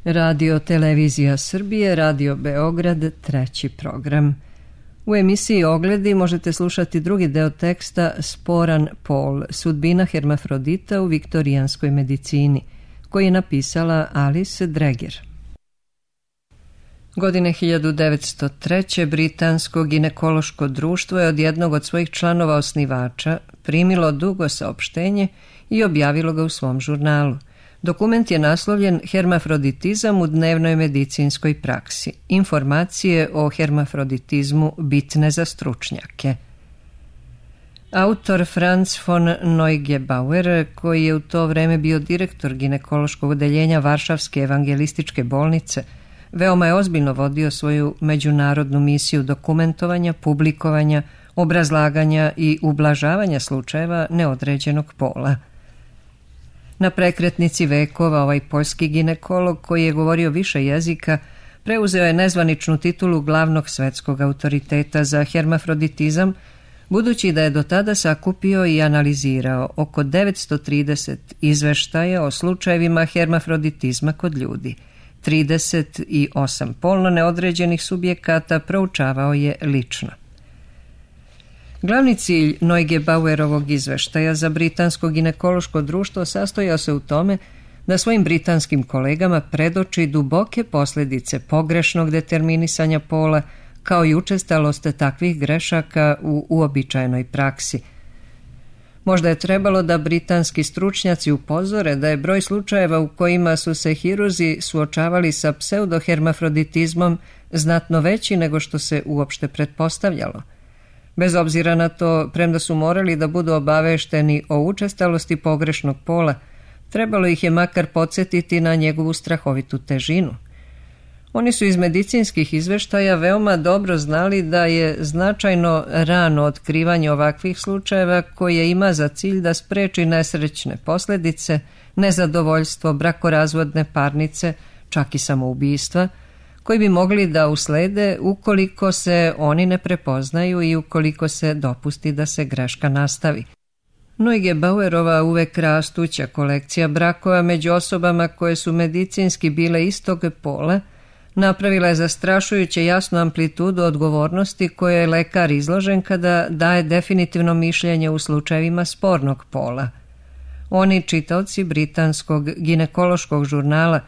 Radio Televizija Srbije, Radio Beograd, treći program. U emisiji Ogledi možete slušati drugi deo teksta Sporan pol, sudbina hermafrodita u viktorijanskoj medicini, koji je napisala Alice Dreger. Godine 1903. Britansko ginekološko društvo je od jednog od svojih članova osnivača primilo dugo saopštenje i objavilo ga u svom žurnalu. Dokument je naslovljen Hermafroditizam u dnevnoj medicinskoj praksi. Informacije o hermafroditizmu bitne za stručnjake. Autor Franz von Neugebauer, koji je u to vreme bio direktor ginekološkog odeljenja Varšavske evangelističke bolnice, veoma je ozbiljno vodio svoju međunarodnu misiju dokumentovanja, publikovanja, obrazlaganja i ublažavanja slučajeva neodređenog pola. Na prekretnici vekova ovaj poljski ginekolog, koji je govorio više jezika, preuzeo je nezvaničnu titulu glavnog svetskog autoriteta za hermafroditizam, budući da je do tada sakupio i analizirao oko 930 izveštaja o slučajevima hermafroditizma kod ljudi. 38 polno neodređenih subjekata proučavao je lično. Glavni cilj Neugebauerovog izveštaja za Britansko ginekološko društvo sastojao se u tome da svojim britanskim kolegama predoči duboke posljedice pogrešnog determinisanja pola, kao i učestalost takvih grešaka u uobičajenoj praksi. Možda je trebalo da britanski stručnjaci upozore da je broj slučajeva u kojima su se hirurzi suočavali sa pseudohermafroditizmom znatno veći nego što se uopšte pretpostavljalo. Bez obzira na to, premda su morali da budu obavešteni o učestalosti pogrešnog pola, trebalo ih je makar podsjetiti na njegovu strahovitu težinu. Oni su iz medicinskih izveštaja veoma dobro znali da je značajno rano otkrivanje ovakvih slučajeva koje ima za cilj da spreči nesrećne posljedice, nezadovoljstvo, brakorazvodne parnice, čak i samoubistva, koji bi mogli da uslede ukoliko se oni ne prepoznaju i ukoliko se dopusti da se greška nastavi. Neugebauerova uvek rastuća kolekcija brakova među osobama koje su medicinski bile istog pola napravila je zastrašujuće jasnu amplitudu odgovornosti koje je lekar izložen kada daje definitivno mišljenje u slučajevima spornog pola. Oni čitaoci britanskog ginekološkog žurnala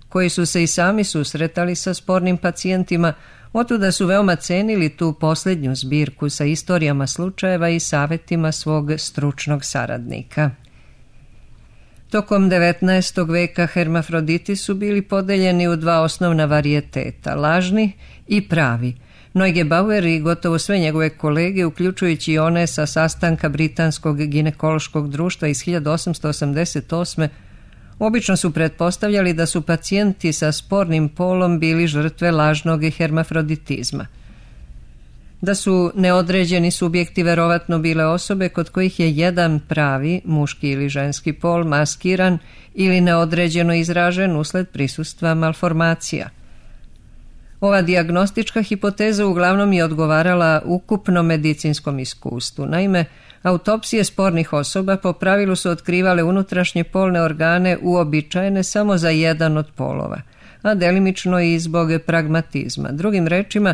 koji su se i sami susretali sa spornim pacijentima, otuda su veoma cenili tu posljednju zbirku sa istorijama slučajeva i savjetima svog stručnog saradnika. Tokom 19. veka hermafroditi su bili podeljeni u dva osnovna varijeteta, lažni i pravi. Neugebauer i gotovo sve njegove kolege, uključujući i one sa sastanka Britanskog ginekološkog društva iz 1888. obično su pretpostavljali da su pacijenti sa spornim polom bili žrtve lažnog hermafroditizma. Da su neodređeni subjekti verovatno bile osobe kod kojih je jedan pravi, muški ili ženski pol, maskiran ili neodređeno izražen usled prisustva malformacija. Ova dijagnostička hipoteza uglavnom je odgovarala ukupnom medicinskom iskustvu. Naime, autopsije spornih osoba po pravilu su otkrivale unutrašnje polne organe uobičajene samo za jedan od polova, a delimično i zbog pragmatizma. Drugim rečima,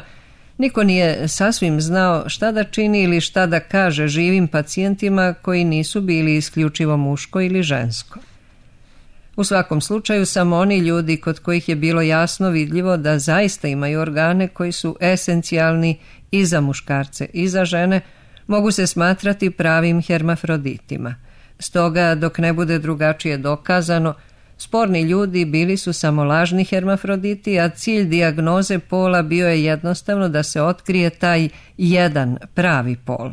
niko nije sasvim znao šta da čini ili šta da kaže živim pacijentima koji nisu bili isključivo muško ili žensko. U svakom slučaju, samo oni ljudi kod kojih je bilo jasno vidljivo da zaista imaju organe koji su esencijalni i za muškarce i za žene, mogu se smatrati pravim hermafroditima. Stoga, dok ne bude drugačije dokazano, sporni ljudi bili su samo lažni hermafroditi, a cilj dijagnoze pola bio je jednostavno da se otkrije taj jedan pravi pol.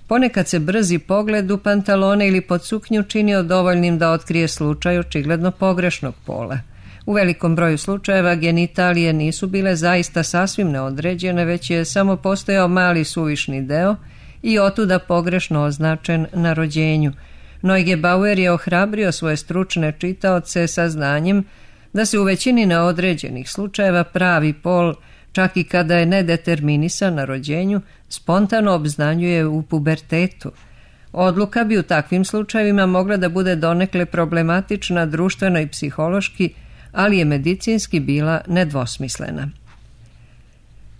Ponekad se brzi pogled u pantalone ili pod suknju činio dovoljnim da otkrije slučaj očigledno pogrešnog pola. U velikom broju slučajeva genitalije nisu bile zaista sasvim neodređene, već je samo postojao mali suvišni deo i otuda pogrešno označen na rođenju. Neugebauer je ohrabrio svoje stručne čitaoce sa znanjem da se u većini neodređenih slučajeva pravi pol, čak i kada je nedeterminisan na rođenju, spontano obznanjuje u pubertetu. Odluka bi u takvim slučajevima mogla da bude donekle problematična društveno i psihološki, ali je medicinski bila nedvosmislena.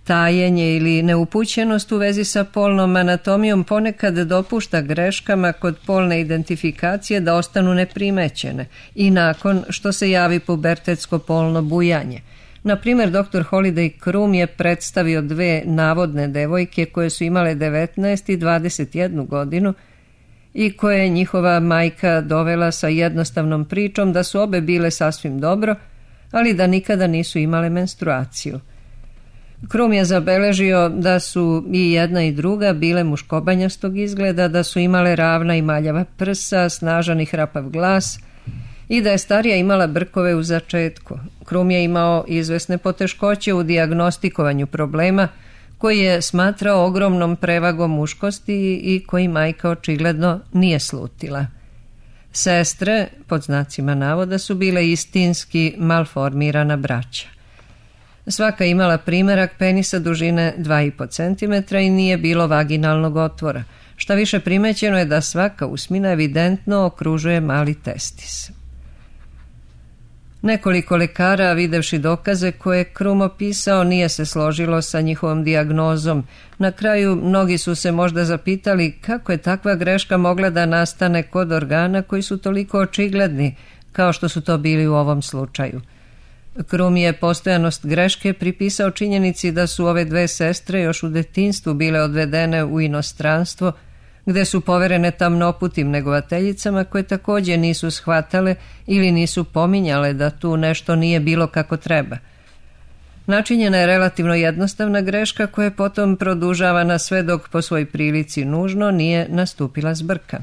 Tajenje ili neupućenost u vezi sa polnom anatomijom ponekad dopušta greškama kod polne identifikacije da ostanu neprimećene i nakon što se javi pubertetsko polno bujanje. Na primjer, dr. Holiday Krum je predstavio 2 navodne devojke koje su imale 19 i 21 godinu i koje je njihova majka dovela sa jednostavnom pričom da su obe bile sasvim dobro, ali da nikada nisu imale menstruaciju. Krum je zabeležio da su i jedna i druga bile muškobanjastog izgleda, da su imale ravna i maljava prsa, snažan i hrapav glas i da je starija imala brkove u začetku. Krum je imao izvesne poteškoće u dijagnostikovanju problema koji je smatrao ogromnom prevagom muškosti i koji majka očigledno nije slutila. Sestre, pod znacima navoda, su bile istinski malformirana braća. Svaka imala primerak penisa dužine 2,5 cm i nije bilo vaginalnog otvora. Šta više, primećeno je da svaka usmina evidentno okružuje mali testis. Nekoliko lekara, videvši dokaze koje je Krum opisao, nije se složilo sa njihovom dijagnozom. Na kraju mnogi su se možda zapitali kako je takva greška mogla da nastane kod organa koji su toliko očigledni kao što su to bili u ovom slučaju. Krum je postojanost greške pripisao činjenici da su ove 2 sestre još u detinjstvu bile odvedene u inostranstvo, gde su poverene tamnoputim negovateljicama koje također nisu shvatale ili nisu pominjale da tu nešto nije bilo kako treba. Načinjena je relativno jednostavna greška koja je potom produžavana sve dok po svoj prilici nužno nije nastupila zbrka.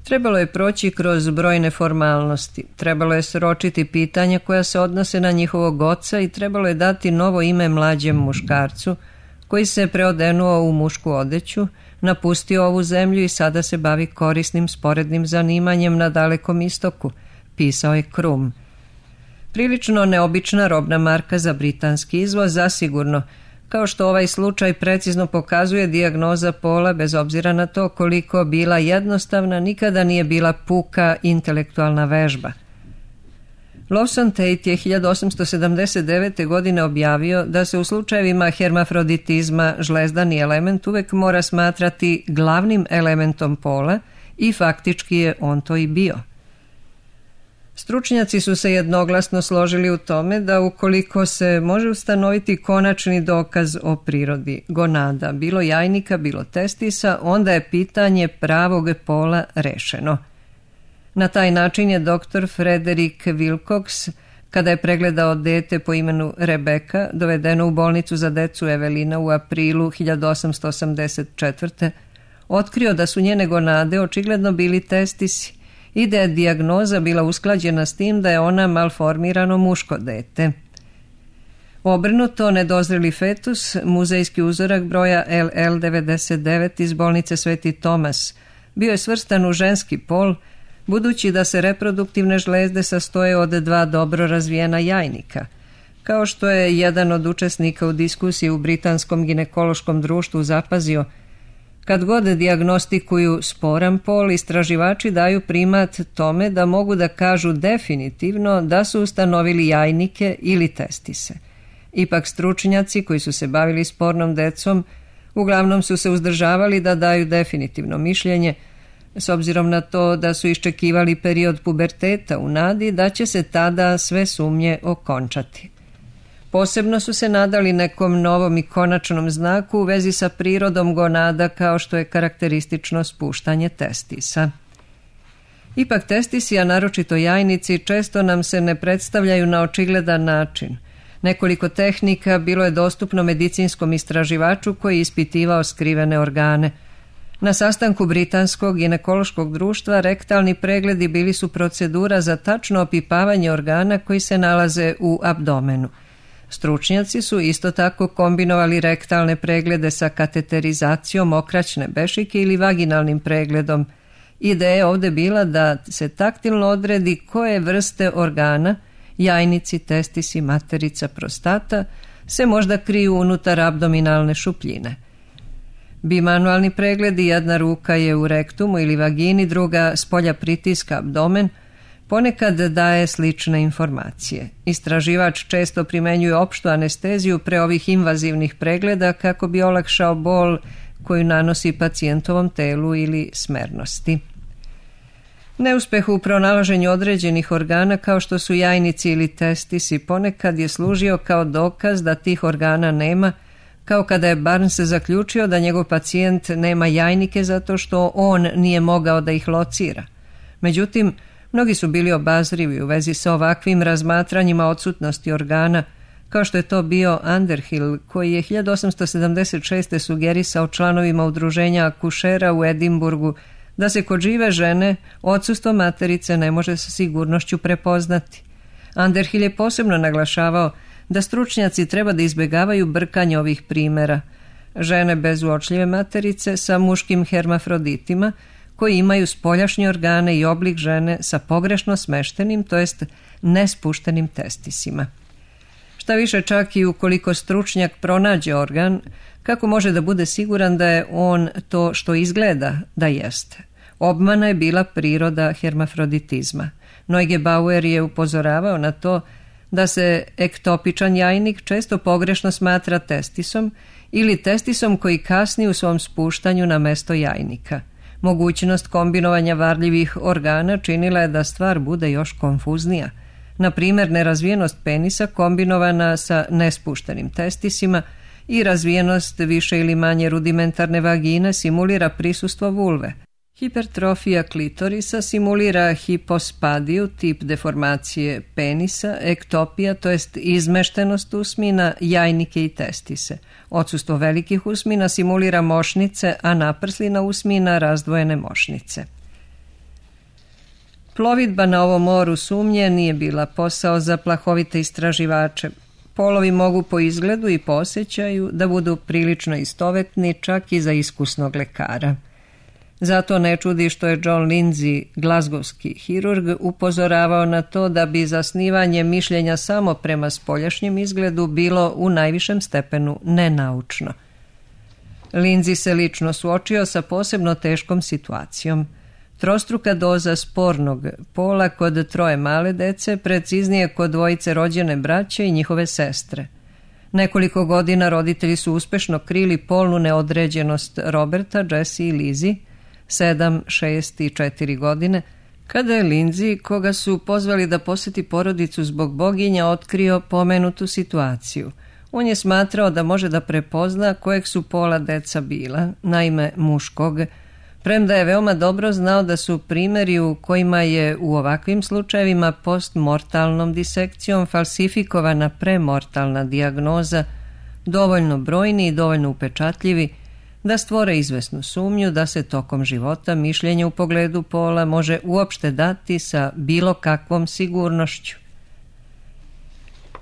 Trebalo je proći kroz brojne formalnosti, trebalo je sročiti pitanja koja se odnose na njihovog oca i trebalo je dati novo ime mlađem muškarcu koji se preodenuo u mušku odeću, napustio ovu zemlju i sada se bavi korisnim sporednim zanimanjem na Dalekom istoku, pisao je Krum. Prilično neobična robna marka za britanski izvoz, zasigurno, kao što ovaj slučaj precizno pokazuje, dijagnoza pola, bez obzira na to koliko bila jednostavna, nikada nije bila puka intelektualna vežba. Lawson Tate je 1879. godine objavio da se u slučajevima hermafroditizma žlezdani element uvek mora smatrati glavnim elementom pola i faktički je on to i bio. Stručnjaci su se jednoglasno složili u tome da ukoliko se može ustanoviti konačni dokaz o prirodi gonada, bilo jajnika, bilo testisa, onda je pitanje pravog pola rešeno. Na taj način je dr. Frederick Wilcox, kada je pregledao dete po imenu Rebeka, dovedeno u bolnicu za decu Evelina u aprilu 1884. otkrio da su njene gonade očigledno bili testisi i da je dijagnoza bila usklađena s tim da je ona malformirano muško dete. Obrnuto, nedozreli fetus, muzejski uzorak broja LL99 iz bolnice Sveti Tomas, bio je svrstan u ženski pol, budući da se reproduktivne žlezde sastoje od 2 dobro razvijena jajnika. Kao što je jedan od učesnika u diskusiji u Britanskom ginekološkom društvu zapazio, kad god dijagnostikuju sporan pol, istraživači daju primat tome da mogu da kažu definitivno da su ustanovili jajnike ili testise. Ipak stručnjaci koji su se bavili spornom decom uglavnom su se uzdržavali da daju definitivno mišljenje, s obzirom na to da su iščekivali period puberteta u nadi da će se tada sve sumnje okončati. Posebno su se nadali nekom novom i konačnom znaku u vezi sa prirodom gonada, kao što je karakteristično spuštanje testisa. Ipak testisi, a naročito jajnici, često nam se ne predstavljaju na očigledan način. Nekoliko tehnika bilo je dostupno medicinskom istraživaču koji je ispitivao skrivene organe. Na sastanku Britanskog ginekološkog društva rektalni pregledi bili su procedura za tačno opipavanje organa koji se nalaze u abdomenu. Stručnjaci su isto tako kombinovali rektalne preglede sa kateterizacijom okraćne bešike ili vaginalnim pregledom. Ideja je ovdje bila da se taktilno odredi koje vrste organa, jajnici, testisi, materica, prostata, se možda kriju unutar abdominalne šupljine. Bimanualni pregledi, jedna ruka je u rektumu ili vagini, druga spolja pritiska abdomen, ponekad daje slične informacije. Istraživač često primenjuje opštu anesteziju pre ovih invazivnih pregleda kako bi olakšao bol koju nanosi pacijentovom telu ili smernosti. Neuspeh u pronalaženju određenih organa kao što su jajnici ili testisi ponekad je služio kao dokaz da tih organa nema, kao kada je Barnes zaključio da njegov pacijent nema jajnike zato što on nije mogao da ih locira. Međutim, mnogi su bili obazrivi u vezi sa ovakvim razmatranjima odsutnosti organa, kao što je to bio Underhill, koji je 1876. sugerisao članovima udruženja akušera u Edimburgu da se kod žive žene odsustvo materice ne može sa sigurnošću prepoznati. Underhill je posebno naglašavao da stručnjaci treba da izbjegavaju brkanje ovih primjera. Žene bez uočljive materice sa muškim hermafroditima koji imaju spoljašnje organe i oblik žene sa pogrešno smeštenim, to jest nespuštenim testisima. Šta više, čak i ukoliko stručnjak pronađe organ, kako može da bude siguran da je on to što izgleda da jeste? Obmana je bila priroda hermafroditizma. Neugebauer je upozoravao na to da se ektopičan jajnik često pogrešno smatra testisom ili testisom koji kasni u svom spuštanju na mesto jajnika. Mogućnost kombinovanja varljivih organa činila je da stvar bude još konfuznija. Na primjer, nerazvijenost penisa kombinovana sa nespuštenim testisima i razvijenost više ili manje rudimentarne vagine simulira prisustvo vulve. Hipertrofija klitorisa simulira hipospadiju, tip deformacije penisa, ektopija, to jest izmeštenost usmina, jajnike i testise. Odsustvo velikih usmina simulira mošnice, a naprslina usmina razdvojene mošnice. Plovidba na ovom moru sumnje nije bila posao za plahovite istraživače. Polovi mogu po izgledu i po osjećaju da budu prilično istovetni čak i za iskusnog lekara. Zato ne čudi što je John Lindsay, glazgovski hirurg, upozoravao na to da bi zasnivanje mišljenja samo prema spoljašnjem izgledu bilo u najvišem stepenu nenaučno. Lindsay se lično suočio sa posebno teškom situacijom. Trostruka doza spornog pola kod 3 male dece, preciznije kod 2 rođene braće i njihove sestre. Nekoliko godina roditelji su uspešno krili polnu neodređenost Roberta, Jesse i Lizzie, 7, 6 i 4 godine, kada je Lindsay, koga su pozvali da poseti porodicu zbog boginja, otkrio pomenutu situaciju. On je smatrao da može da prepozna kojeg su pola deca bila, naime muškog, premda je veoma dobro znao da su primjeri u kojima je u ovakvim slučajevima postmortalnom disekcijom falsifikovana premortalna dijagnoza dovoljno brojni i dovoljno upečatljivi da stvore izvesnu sumnju da se tokom života mišljenje u pogledu pola može uopšte dati sa bilo kakvom sigurnošću.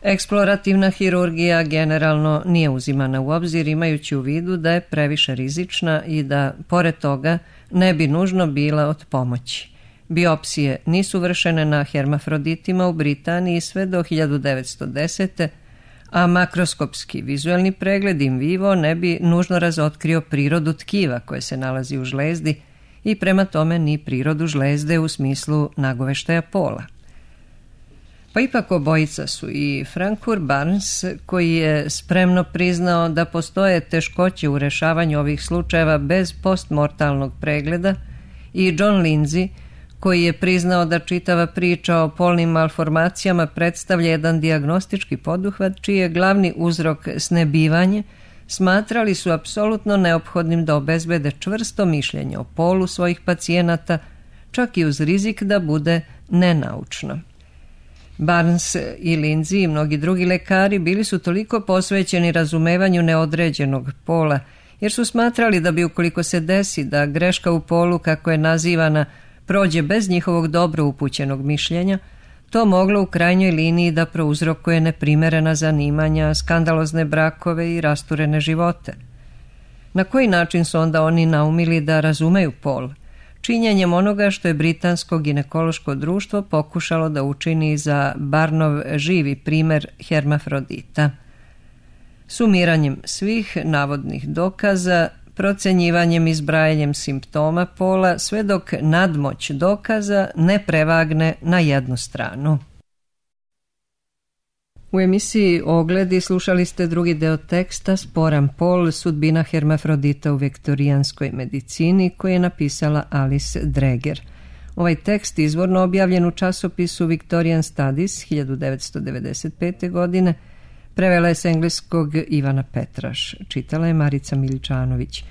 Eksplorativna hirurgija generalno nije uzimana u obzir, imajući u vidu da je previše rizična i da, pored toga, ne bi nužno bila od pomoći. Biopsije nisu vršene na hermafroditima u Britaniji sve do 1910. a makroskopski vizuelni pregled in vivo ne bi nužno razotkrio prirodu tkiva koje se nalazi u žlezdi i prema tome ni prirodu žlezde u smislu nagoveštaja pola. Pa ipak obojica su, i Francois Barnes, koji je spremno priznao da postoje teškoće u rešavanju ovih slučajeva bez postmortalnog pregleda, i John Lindsay, koji je priznao da čitava priča o polnim malformacijama predstavlja jedan dijagnostički poduhvat čiji je glavni uzrok snebivanje, smatrali su apsolutno neophodnim da obezbede čvrsto mišljenje o polu svojih pacijenata, čak i uz rizik da bude nenaučno. Barnes i Lindsay i mnogi drugi lekari bili su toliko posvećeni razumevanju neodređenog pola, jer su smatrali da bi, ukoliko se desi da greška u polu, kako je nazivana, prođe bez njihovog dobro upućenog mišljenja, to moglo u krajnjoj liniji da prouzrokuje neprimerena zanimanja, skandalozne brakove i rasturene živote. Na koji način su onda oni naumili da razumeju pol? Činjenjem onoga što je Britansko ginekološko društvo pokušalo da učini za Barnov živi primer hermafrodita. Sumiranjem svih navodnih dokaza, procenjivanjem i zbrajanjem simptoma pola sve dok nadmoć dokaza ne prevagne na jednu stranu. U emisiji Ogledi slušali ste drugi deo teksta Sporan pol, sudbina hermafrodita u viktorijanskoj medicini, koji je napisala Alice Dreger. Ovaj tekst izvorno objavljen u časopisu Victorian Studies 1995. godine, prevela je s engleskog Ivana Petraš, čitala je Marica Miličanović.